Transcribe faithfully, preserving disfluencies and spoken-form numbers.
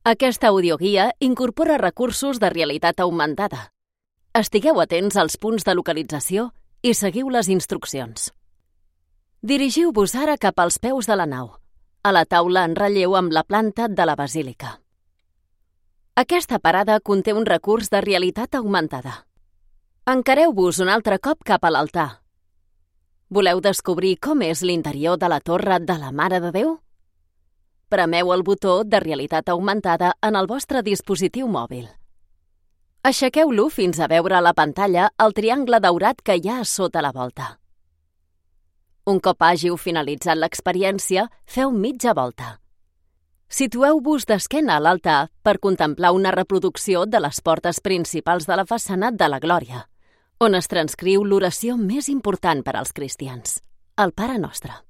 Aquesta audioguia incorpora recursos de realitat augmentada. Estigueu atents als punts de localització i seguiu les instruccions. Dirigiu-vos ara cap als peus de la nau, a la taula en relleu amb la planta de la basílica. Aquesta parada conté un recurs de realitat augmentada. Encareu-vos un altre cop cap a l'altar. Voleu descobrir com és l'interior de la torre de la Mare de Déu? Premeu el botó de realitat augmentada en el vostre dispositiu mòbil. Aixequeu-lo fins a veure a la pantalla el triangle daurat que hi ha a sota la volta. Un cop hàgiu finalitzat l'experiència, feu mitja volta. Situeu-vos d'esquena a l'altar per contemplar una reproducció de les portes principals de la façana de la Glòria, on es transcriu l'oració més important per als cristians, el Pare Nostre.